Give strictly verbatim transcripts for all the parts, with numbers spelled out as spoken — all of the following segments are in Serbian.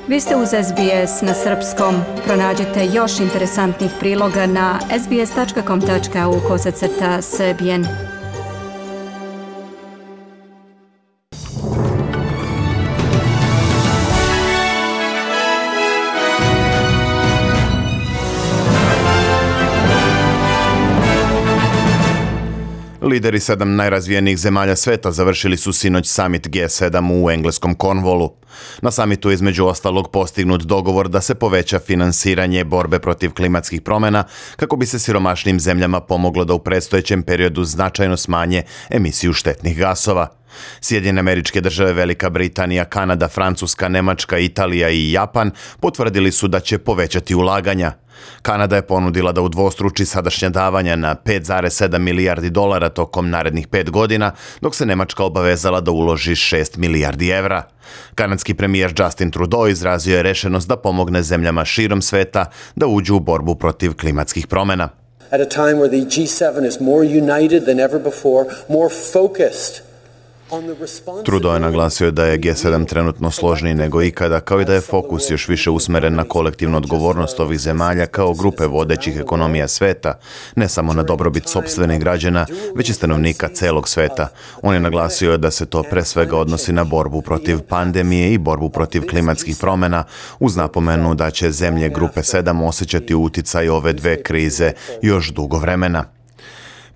Vi ste uz S B S na srpskom. Pronađite još interesantnih priloga na sbs.com.au kosacrta srbijen. Lideri sedam najrazvijenijih zemalja sveta završili su sinoć samit G sedam u engleskom Cornwallu. Na samitu je između ostalog postignut dogovor da se poveća finansiranje borbe protiv klimatskih promjena kako bi se siromašnim zemljama pomoglo da u predstojećem periodu značajno smanje emisiju štetnih gasova. Sjedinjene Američke Države, Velika Britanija, Kanada, Francuska, Nemačka, Italija i Japan potvrdili su da će povećati ulaganja. Kanada je ponudila da udvostruči sadašnja davanja na pet zarez sedam milijardi dolara tokom narednih pet godina, dok se Nemačka obavezala da uloži šest milijardi evra. Kanadski premijer Justin Trudeau izrazio je rešenost da pomogne zemljama širom sveta da uđu u borbu protiv klimatskih promjena. At a time where the G seven is more united than ever before, more focused. Trudeau je naglasio da je G sedam trenutno složniji nego ikada, kao i da je fokus još više usmeren na kolektivnu odgovornost ovih zemalja kao grupe vodećih ekonomija sveta, ne samo na dobrobit sopstvenih građana, već i stanovnika celog sveta. On je naglasio da se to pre svega odnosi na borbu protiv pandemije i borbu protiv klimatskih promjena, uz napomenu da će zemlje grupe sedam osjećati uticaj ove dve krize još dugo vremena.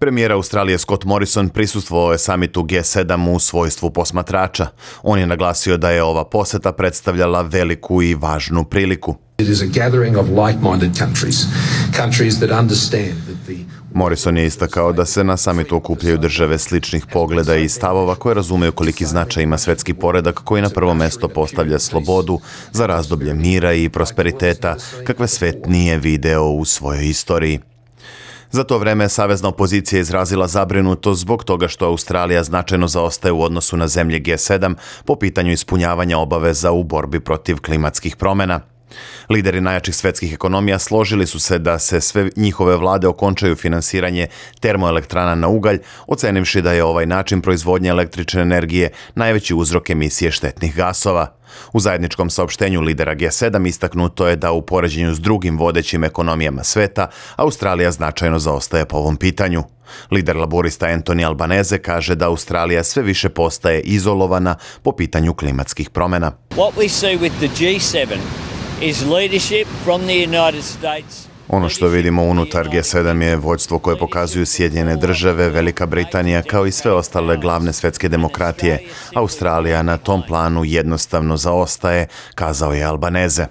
Premijer Australije Scott Morrison prisustvovao je samitu G sedam u svojstvu posmatrača. On je naglasio da je ova poseta predstavljala veliku i važnu priliku. It is a gathering of like-minded countries, countries that understand that the Morrison je istakao da se na samitu okupljaju države sličnih pogleda i stavova koje razumeju koliki značaj ima svetski poredak koji na prvo mesto postavlja slobodu za razdoblje mira i prosperiteta kakve svet nije video u svojoj istoriji. Za to vreme savezna opozicija je izrazila zabrinutost zbog toga što Australija značajno zaostaje u odnosu na zemlje G sedam po pitanju ispunjavanja obaveza u borbi protiv klimatskih promjena. Lideri najjačih svetskih ekonomija složili su se da se sve njihove vlade okončaju finansiranje termoelektrana na ugalj, ocenivši da je ovaj način proizvodnje električne energije najveći uzrok emisije štetnih gasova. U zajedničkom saopštenju lidera G sedam istaknuto je da u poređenju s drugim vodećim ekonomijama sveta, Australija značajno zaostaje po ovom pitanju. Lider laborista Anthony Albanese kaže da Australija sve više postaje izolovana po pitanju klimatskih promjena. What we see with the G seven is leadership from the United States. Ono što vidimo unutar G sedam je vođstvo koje pokazuju Sjedinjene Države, Velika Britanija kao i sve ostale glavne svetske demokratije. Australija na tom planu jednostavno zaostaje, kazao je Albanese.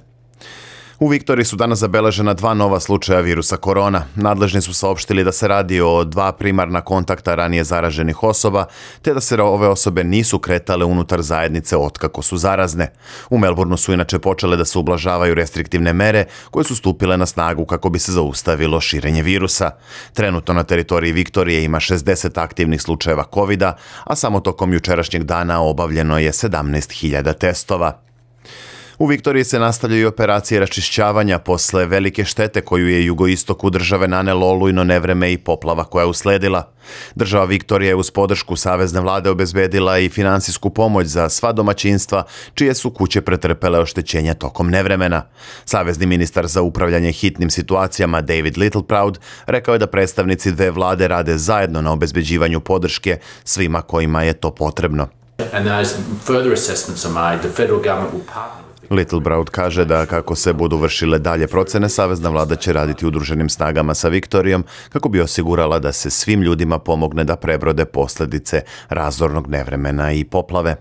U Viktoriji su danas zabeležena dva nova slučaja virusa korona. Nadležni su saopštili da se radi o dva primarna kontakta ranije zaraženih osoba, te da se ove osobe nisu kretale unutar zajednice otkako su zarazne. U Melbourneu su inače počele da se ublažavaju restriktivne mere koje su stupile na snagu kako bi se zaustavilo širenje virusa. Trenutno na teritoriji Viktorije ima šezdeset aktivnih slučajeva kovida, a samo tokom jučerašnjeg dana obavljeno je sedamnaest hiljada testova. U Viktoriji se nastavljaju operacije raščišćavanja posle velike štete koju je jugoistoku države nanelo olujno nevreme i poplava koja je usledila. Država Viktorija je uz podršku savezne vlade obezbedila i finansijsku pomoć za sva domaćinstva čije su kuće pretrpele oštećenja tokom nevremena. Savezni ministar za upravljanje hitnim situacijama David Littleproud rekao je da predstavnici dve vlade rade zajedno na obezbeđivanju podrške svima kojima je to potrebno. And as further assessments are made, the federal government will partner. Littleproud kaže da kako se budu vršile dalje procene, savezna vlada će raditi udruženim snagama sa Viktorijom kako bi osigurala da se svim ljudima pomogne da prebrode posljedice razornog nevremena i poplave.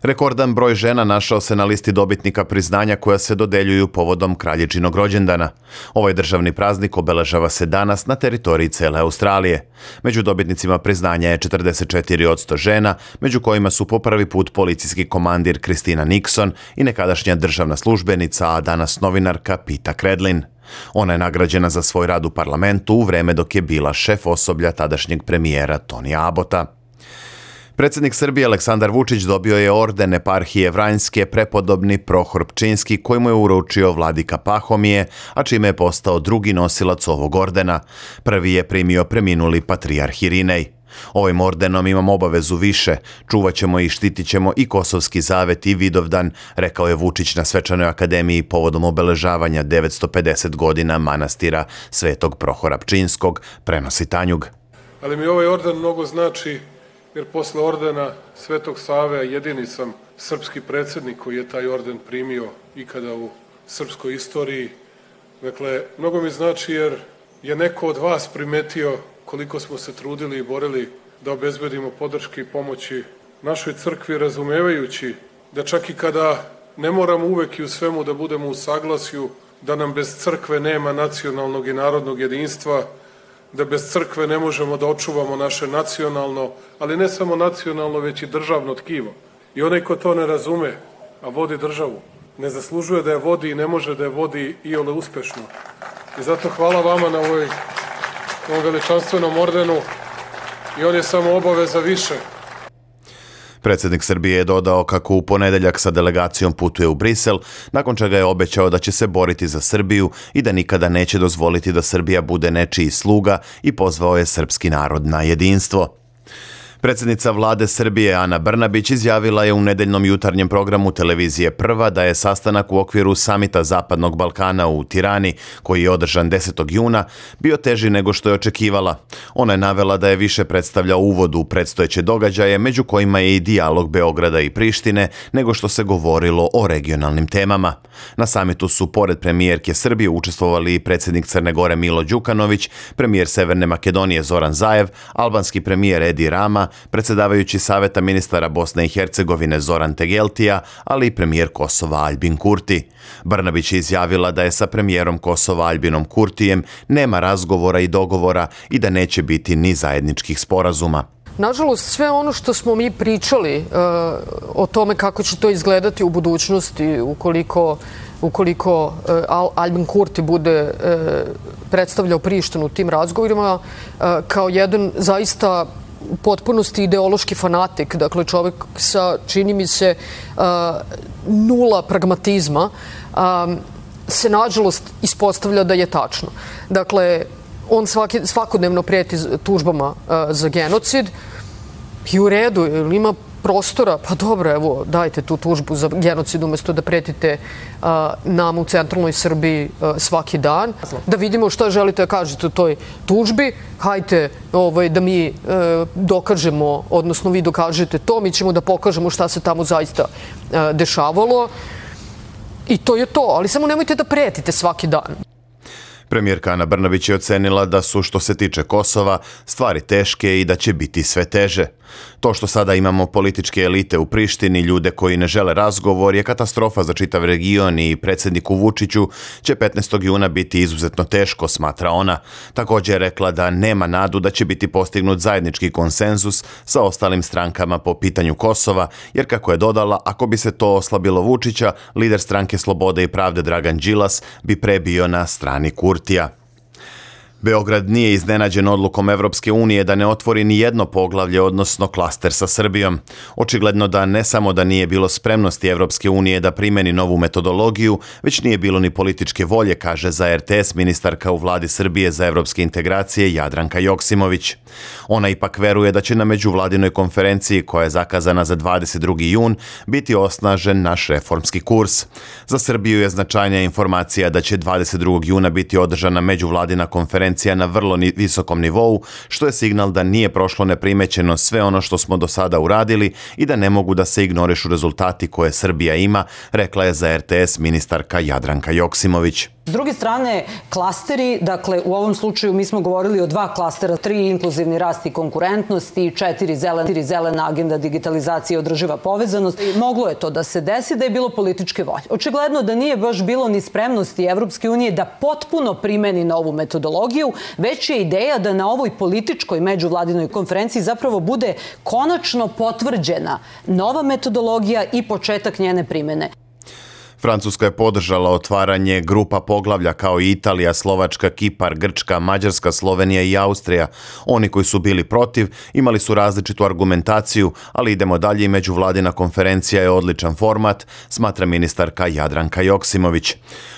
Rekordan broj žena našao se na listi dobitnika priznanja koja se dodeljuju povodom kraljičinog rođendana. Ovaj državni praznik obeležava se danas na teritoriji cele Australije. Među dobitnicima priznanja je četrdeset četiri posto žena, među kojima su po prvi put policijski komandir Christina Nixon i nekadašnja državna službenica, a danas novinarka Peta Credlin. Ona je nagrađena za svoj rad u parlamentu u vreme dok je bila šef osoblja tadašnjeg premijera Tonija Abota. Predsjednik Srbije Aleksandar Vučić dobio je orden eparhije Vranjske prepodobni Prohor Pčinjski koji mu je uručio vladika Pahomije, a čime je postao drugi nosilac ovog ordena. Prvi je primio preminuli patrijarh Irinej. Ovim ordenom imam obavezu više, čuvat ćemo i štitit ćemo i Kosovski zavet i Vidovdan, rekao je Vučić na Svečanoj akademiji povodom obeležavanja devetsto pedeset godina manastira Svetog Prohora Pčinjskog, prenosi Tanjug. Ali mi ovaj orden mnogo znači, jer posle ordena Svetog Save jedini sam srpski predsjednik koji je taj orden primio ikada u srpskoj istoriji. Dakle, mnogo mi znači jer je neko od vas primetio koliko smo se trudili i borili da obezbedimo podrške i pomoći našoj crkvi, razumevajući da čak i kada ne moramo uvek i u svemu da budemo u saglasju, da nam bez crkve nema nacionalnog i narodnog jedinstva, da bez crkve ne možemo da očuvamo naše nacionalno, ali ne samo nacionalno, već i državno tkivo. I onaj ko to ne razume, a vodi državu, ne zaslužuje da je vodi i ne može da je vodi iole uspešno. I zato hvala vama na ovoj, ovom veličanstvenom ordenu i on je samo obaveza više. Predsjednik Srbije je dodao kako u ponedeljak sa delegacijom putuje u Brisel, nakon čega je obećao da će se boriti za Srbiju i da nikada neće dozvoliti da Srbija bude nečiji sluga i pozvao je srpski narod na jedinstvo. Predsjednica vlade Srbije Ana Brnabić izjavila je u nedeljnom jutarnjem programu televizije Prva da je sastanak u okviru samita Zapadnog Balkana u Tirani, koji je održan desetog juna, bio teži nego što je očekivala. Ona je navela da je više predstavljao uvod u predstojeće događaje, među kojima je i dijalog Beograda i Prištine, nego što se govorilo o regionalnim temama. Na samitu su pored premijerke Srbije učestvovali i predsjednik Crne Gore Milo Đukanović, premijer Severne Makedonije Zoran Zaev, albanski premijer Edi Rama, predsjedavajući Saveta ministara Bosne i Hercegovine Zoran Tegeltija, ali i premijer Kosova Aljbin Kurti. Brnabić je izjavila da je sa premijerom Kosova Aljbinom Kurtijem nema razgovora i dogovora i da neće biti ni zajedničkih sporazuma. Nažalost, sve ono što smo mi pričali uh, o tome kako će to izgledati u budućnosti, ukoliko, ukoliko uh, Al Aljbin Kurti bude uh, predstavljao Prištinu u tim razgovorima, uh, kao jedan zaista u potpunosti ideološki fanatik, dakle čovjek sa, čini mi se, uh, nula pragmatizma, um, se nažalost ispostavlja da je tačno. Dakle, on svaki, svakodnevno prijeti tužbama uh, za genocid i u redu, ili ima prostora, pa dobro, evo, dajte tu tužbu za genocid umjesto da pretite uh, nam u centralnoj Srbiji uh, svaki dan. Da vidimo šta želite da kažete o toj tužbi. Hajte ovaj, da mi uh, dokažemo, odnosno vi dokažete to, mi ćemo da pokažemo šta se tamo zaista uh, dešavalo. I to je to, ali samo nemojte da pretite svaki dan. Premijerka Ana Brnabić je ocenila da su, što se tiče Kosova, stvari teške i da će biti sve teže. To što sada imamo političke elite u Prištini, ljude koji ne žele razgovor, je katastrofa za čitav region i predsjedniku Vučiću će petnaestog juna biti izuzetno teško, smatra ona. Također je rekla da nema nadu da će biti postignut zajednički konsenzus sa ostalim strankama po pitanju Kosova, jer kako je dodala, ako bi se to oslabilo Vučića, lider stranke Slobode i pravde Dragan Đilas bi prebio na strani Kurtija. Beograd nije iznenađen odlukom Evropske unije da ne otvori ni jedno poglavlje, odnosno klaster sa Srbijom. Očigledno da ne samo da nije bilo spremnosti Evropske unije da primeni novu metodologiju, već nije bilo ni političke volje, kaže za R T S ministarka u vladi Srbije za evropske integracije Jadranka Joksimović. Ona ipak veruje da će na međuvladinoj konferenciji, koja je zakazana za dvadeset drugi jun, biti osnažen naš reformski kurs. Za Srbiju je značajnija informacija da će dvadeset drugog juna biti održana međuvladina konferencija na vrlo visokom nivou, što je signal da nije prošlo neprimećeno sve ono što smo do sada uradili i da ne mogu da se ignorišu rezultati koje Srbija ima, rekla je za R T S ministarka Jadranka Joksimović. S druge strane, klasteri, dakle u ovom slučaju mi smo govorili o dva klastera, tri inkluzivni rast i konkurentnost i četiri zelena, zelena agenda digitalizacije i održiva povezanost. Moglo je to da se desi da je bilo političke volje. Očigledno da nije baš bilo ni spremnosti Evropske unije da potpuno primeni novu metodologiju, već je ideja da na ovoj političkoj međuvladinoj konferenciji zapravo bude konačno potvrđena nova metodologija i početak njene primene. Francuska je podržala otvaranje grupa poglavlja kao i Italija, Slovačka, Kipar, Grčka, Mađarska, Slovenija i Austrija. Oni koji su bili protiv imali su različitu argumentaciju, ali idemo dalje i međuvladina konferencija je odličan format, smatra ministarka Jadranka Joksimović.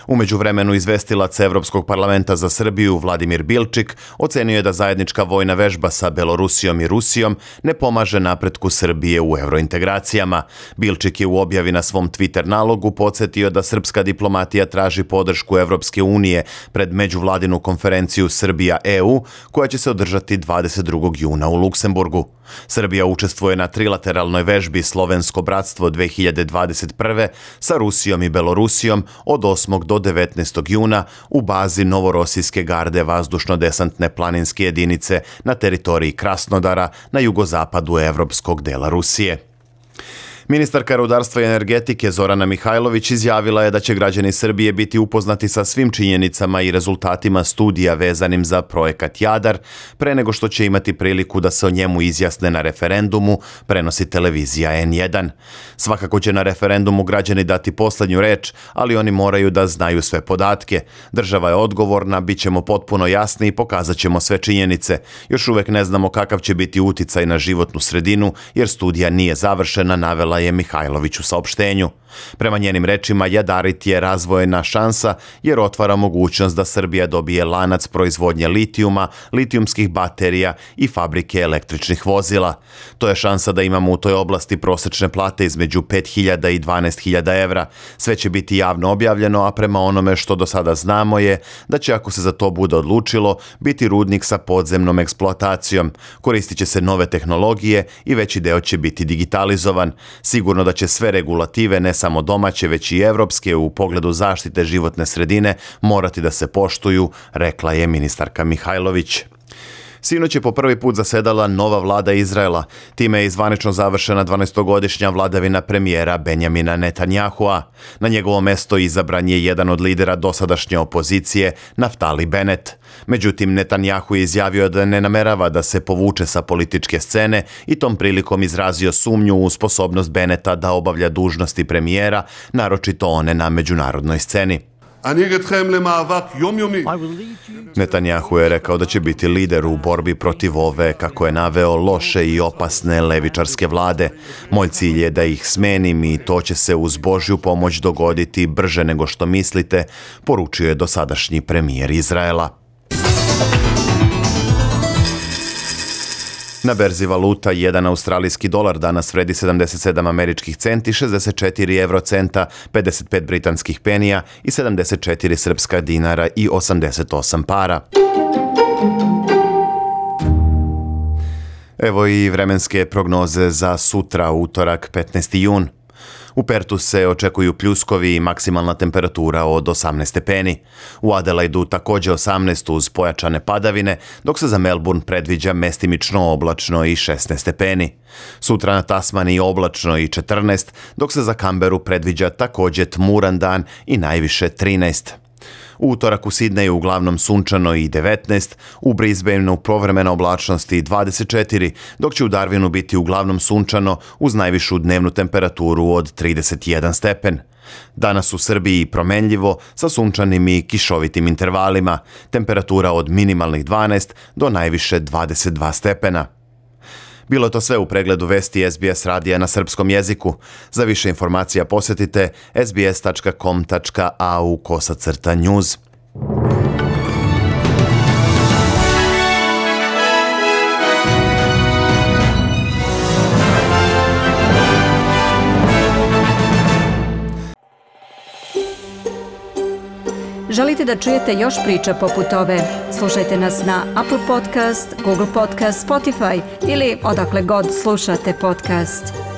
U međuvremenu izvestilac Evropskog parlamenta za Srbiju Vladimir Bilčik ocenio je da zajednička vojna vežba sa Belorusijom i Rusijom ne pomaže napretku Srbije u eurointegracijama. Bilčik je u objavi na svom Twitter nalogu podsjetio da srpska diplomatija traži podršku Evropske unije pred međuvladinu konferenciju Srbija-E U koja će se održati dvadeset drugog juna u Luksemburgu. Srbija učestvuje na trilateralnoj vežbi Slovensko bratstvo dve hiljade dvadeset prve sa Rusijom i Belorusijom od osmog do devetnaestog juna u bazi Novorosijske garde vazdušno-desantne planinske jedinice na teritoriji Krasnodara na jugozapadu evropskog dela Rusije. Ministarka rudarstva i energetike Zorana Mihajlović izjavila je da će građani Srbije biti upoznati sa svim činjenicama i rezultatima studija vezanim za projekat Jadar, pre nego što će imati priliku da se o njemu izjasne na referendumu, prenosi televizija N jedan. Svakako će na referendumu građani dati poslednju reč, ali oni moraju da znaju sve podatke. Država je odgovorna, bit ćemo potpuno jasni i pokazat ćemo sve činjenice. Još uvek ne znamo kakav će biti uticaj na životnu sredinu, jer studija nije završena, navela je Mihajlović u saopštenju. Prema njenim rečima, Jadarit je razvojna šansa jer otvara mogućnost da Srbija dobije lanac proizvodnje litijuma, litijumskih baterija i fabrike električnih vozila. To je šansa da imamo u toj oblasti prosečne plate između pet hiljada i dvanaest hiljada evra. Sve će biti javno objavljeno, a prema onome što do sada znamo je da će, ako se za to bude odlučilo, biti rudnik sa podzemnom eksploatacijom. Koristit će se nove tehnologije i veći deo će biti digitalizovan. Sigurno da će sve regulative, ne samo domaće, već i evropske, u pogledu zaštite životne sredine morati da se poštuju, rekla je ministarka Mihajlović. Sinoć je po prvi put zasedala nova vlada Izraela. Time je zvanično završena dvanaestogodišnja vladavina premijera Benjamina Netanjahua. Na njegovo mesto izabran je jedan od lidera dosadašnje opozicije, Naftali Bennett. Međutim, Netanjahu je izjavio da ne namerava da se povuče sa političke scene i tom prilikom izrazio sumnju u sposobnost Bennetta da obavlja dužnosti premijera, naročito one na međunarodnoj sceni. Netanjahu je rekao da će biti lider u borbi protiv ove, kako je naveo, loše i opasne levičarske vlade. Moj cilj je da ih smenim i to će se uz Božju pomoć dogoditi brže nego što mislite, poručio je dosadašnji premijer Izraela. Na berzi valuta jedan australijski dolar danas vredi sedamdeset sedam američkih centi, šezdeset četiri evrocenta, pedeset pet britanskih penija i sedamdeset četiri srpska dinara i osamdeset osam para. Evo i vremenske prognoze za sutra, utorak, petnaesti jun. U Pertu se očekuju pljuskovi i maksimalna temperatura od osamnaest stepeni. U Adelaidu također osamnaest uz pojačane padavine, dok se za Melbourne predviđa mestimično oblačno i šesnaest stepeni. Sutra na Tasmaniji oblačno i četrnaest, dok se za Kamberu predviđa također tmuran dan i najviše trinaest. U utorak u Sidneju uglavnom sunčano i devetnaest, u Brisbaneu povremena oblačnost i dvadeset četiri, dok će u Darwinu biti uglavnom sunčano uz najvišu dnevnu temperaturu od trideset jedan stepen. Danas u Srbiji promenljivo sa sunčanim i kišovitim intervalima, temperatura od minimalnih dvanaest do najviše dvadeset dva stepena. Bilo je to sve u pregledu vesti S B S radija na srpskom jeziku. Za više informacija posjetite sbs tačka com tačka a u kosacrta news. Želite da čujete još priča poput ove? Slušajte nas na Apple Podcast, Google Podcast, Spotify ili odakle god slušate podcast.